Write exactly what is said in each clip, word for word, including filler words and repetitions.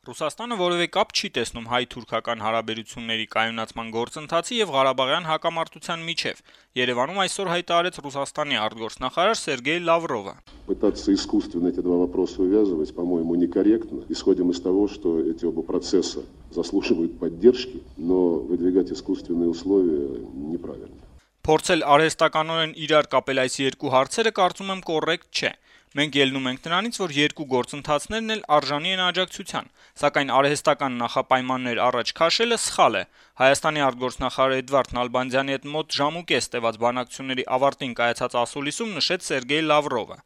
Ռուսաստանը որևէ կապ չի տեսնում հայ-թուրքական հարաբերությունների կայունացման գործընթացի եւ Ղարաբաղյան հակամարտության միջեւ, Երեւանում այսօր հայտարարեց Ռուսաստանի արտգործնախարար Սերգեյ Լավրովը. Пытаться искусственно эти два вопроса увязывать, по-моему, некорректно. Исходим из того, что эти оба процесса заслуживают поддержки, но выдвигать искусственные условия неправильно. Փորձել արհեստականորեն իրար կապել այս երկու հարցերը կարծում եմ կոռեկտ չէ. Մենք ելնում ենք նրանից, որ երկու գործընթացներն էլ արժանի են աջակցության, սակայն արհեստական նախապայմաններ առաջ քաշելը սխալ է. Հայաստանի արտգործնախարար Էդվարդ Նալբանդյանի հետ մոտ ժամ ու կես տեւած բանակցությունների ավարտին կայացած ասուլիսում նշեց Սերգեյ Լավրովը.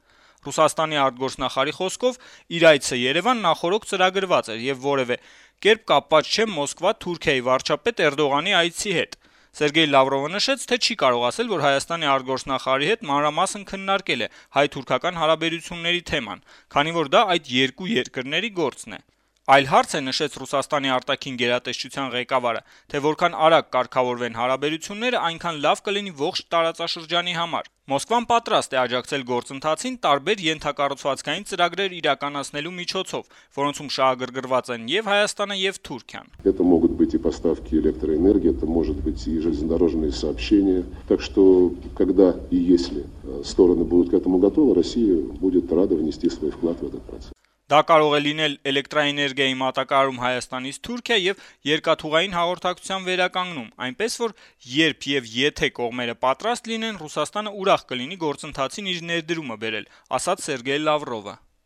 Ռուսաստանի արտգործնախարարի խոսքով իր այցը Երևան նախօրոք ծրագրված էր եւ որեւէ կերպ կապված չէ Մոսկվա-Թուրքիայի վարչապետ Էրդողանի այցի հետ. Սերգեյ Լավրովը նշեց, թե չի կարող ասել, որ Հայաստանի արտգործնախարարի հետ մանրամասն քննարկել է հայ-թուրքական հարաբերությունների թեման, քանի որ դա այդ երկու երկրների գործն է. Այլ հարց է, նշեց Ռուսաստանի արտաքին գերատեսչության ղեկավարը, թե որքան արագ կարգավորվեն հարաբերությունները, այնքան լավ կլինի ողջ տարածաշրջանի համար. Մոսկվան պատրաստ է աջակցել գործընթացին տարբեր ենթակառուցվածքային ծրագրեր իրականացնելու միջոցով, որոնցում շահագրգռված են եւ Հայաստանը եւ Թուրքիան. Это могут быть и поставки электроэнергии, это может быть и железнодорожные сообщения. Так что, когда и если стороны будут к этому готовы, Россия будет рада внести свой вклад в этот процесс. Դա կարող է լինել էլեկտրաէներգիայի մատակարարում Հայաստանից Թուրքիա եւ երկաթուղային հաղորդակցության վերականգնում, այնպես որ երբ եւ եթե կողմերը պատրաստ լինեն, Ռուսաստանը ուրախ կլինի գործընթացին իր ներդրումը բերել, ասաց Սերգեյ Լավրովը.